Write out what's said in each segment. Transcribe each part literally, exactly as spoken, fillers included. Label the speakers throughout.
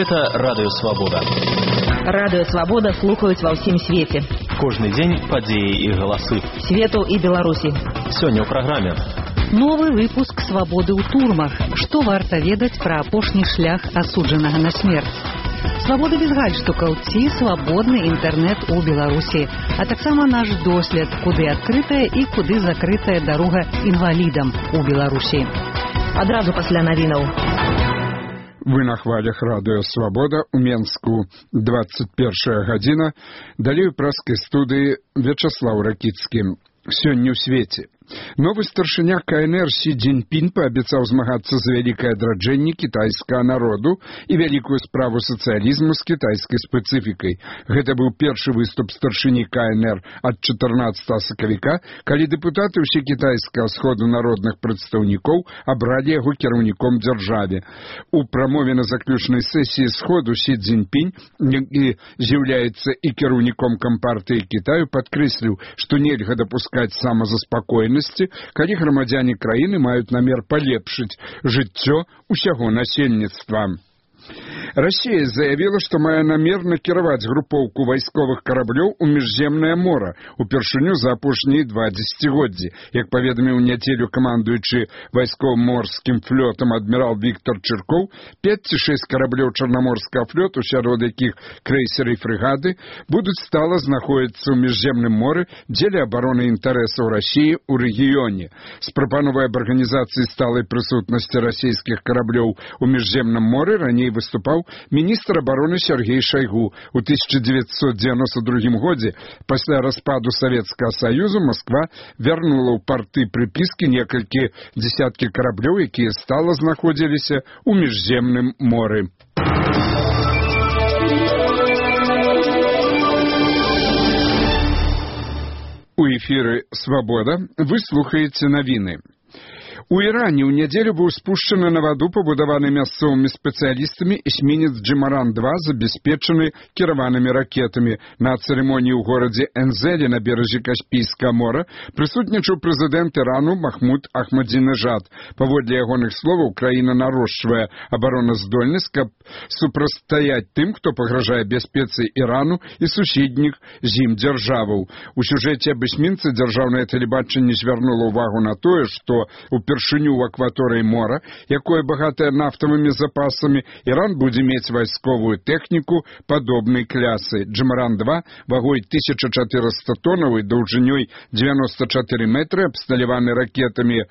Speaker 1: Гэта Радыё Свабода.
Speaker 2: Радыё Свабода слухаюць ва ўсім свеце.
Speaker 1: Кожны дзень падзеі і галасы.
Speaker 2: Свету і Беларусі.
Speaker 1: Сёння ў праграме.
Speaker 3: Новы выпуск «Свабоды ў турмах». Што варта ведаць пра апошні шлях асуджанага на смерць? Свабода без гальштукаў ці свабодны інтэрнэт у Беларусі, а таксама наш дослед, куды адкрытая і куды закрытая дарога інвалідам у Беларусі.
Speaker 2: Адразу пасля навінаў.
Speaker 4: Вы на хвалях Радыё Свабода у Менску. двадцать первая гадзіна. Далей у праскай студыі Вячаслаў Ракіцкі. Сёння ў свеце. Новы старшыня ка эн эр Сі Цзіньпін паабяцаў змагацца за вялікае адраджэнне кітайскага народу і вялікую справу сацыялізму з кітайскай спецыфікай. Гэта быў першы выступ старшыні ка эн эр ад чатырнаццатага сакавіка, калі дэпутаты ўсе кітайскага сходу народных прадстаўнікоў абралі яго кіраўніком дзяржаве. У прамове на заключнай сесіі сходу Сі Цзіньпін, які з'яўляецца і кіраўніком кампартыі Кітаю, падкрэсліў, што нельга дапускаць самазаспакойнасці, калі грамадзяне краіны маюць намер палепшыць жыццё ўсяго насельніцтва. Расія заявіла, што мае намер накіраваць групоўку вайсковых караблёў у міжземнае мора, упершыню за апошнія два дзесяцігоддзі. Як паведаміў у нядзелю камандуючы вайсково-морскім флотам адмірал Віктор Чыркоў, пяць ці шэсць караблёў чарнаморскага флоту, сярод якіх крэйсеры і фрэгаты, будуць стала знаходзіцца ў міжземным моры дзеля абароны інтарэсаў Расіі ў рэгіёне. З прапановай аб арганізацыі сталай прысутнасці расійскіх караблёў у міжземным моры раней выступаў міністр абароны Сергей Шайгу. У тысяча дзевяцьсот девяносто другім годзе, пасля распаду Савецкага Саюзу, Масква вярнула ў парты прыпіскі некалькі дзесяткі караблёў, якія стала знаходзіліся ў міжземным моры. У эфіры «Свабода» вы слухаеце навіны. У Іране ў нядзелю быў спушчаны на ваду, пабудаваны мясцовымі спецыялістамі, эсмінец Джымаран два, забяспечаны кіраванымі ракетамі. На цырымоніі ў горадзе Энзелі на беразе Каспійскага мора прысутнічаў прэзідэнт Ірану Махмуд Ахмадзінежад. Паводле ягоных словаў, краіна нарошчвае абароназдольнасць, каб супрацьстаяць тым, хто пагражае бяспецы Ірану і суседніх з ім дзяржаваў. У сюжэце аб эсмінцы дзяржаўнае тэлебачанне звярнула ўвагу на тое, што упершыню ў акваторыі мора, якое багатае нафтавымі запасамі, Іран будзе мець вайсковую тэхніку падобнай клясы. Джымаран два вагой тысяча чатырыста тоннаў і даўжынёй дзевяносто чатыры метры, абсталяваны ракетамі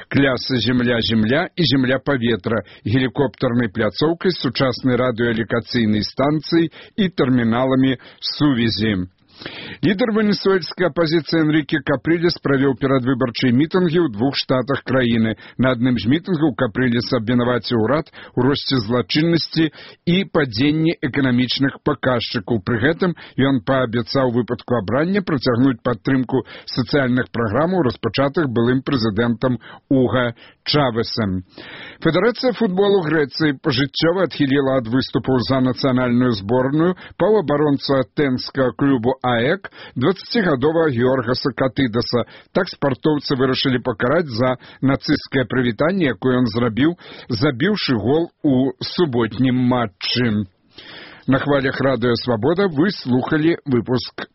Speaker 4: клясы «Земля-Земля» і «Земля-Паветра», гелікоптарнай пляцоўкай, сучаснай радыёлакацыйнай станцыяй і тэрміналамі сувязі. Лідар венесуэльскай апазіцыі Энріке Капрілес правёў перадвыбарчыя мітынгі ў двух штатах краіны. На адным з мітынгаў Капрілес абвінаваціў урад у росце злачыннасці і падзенні эканамічных паказчыкаў. Пры гэтым ён паабяцаў у выпадку абрання працягнуць падтрымку сацыяльных праграмаў, распачатых былым прэзідэнтам Уга Чавесам. Федэрацыя футболу Грэцыі пажыццёва адхіліла ад выступаў за нацыянальную зборную паўабаронцу атэнскага клубу АЭК дваццацігадовага Георгаса Катыдаса. Так спартоўцы вырашылі пакараць за нацысцкае прывітанне, якое ён зрабіў, забіўшы гол у суботнім матчы. На хвалях Радыё Свабода вы слухалі выпуск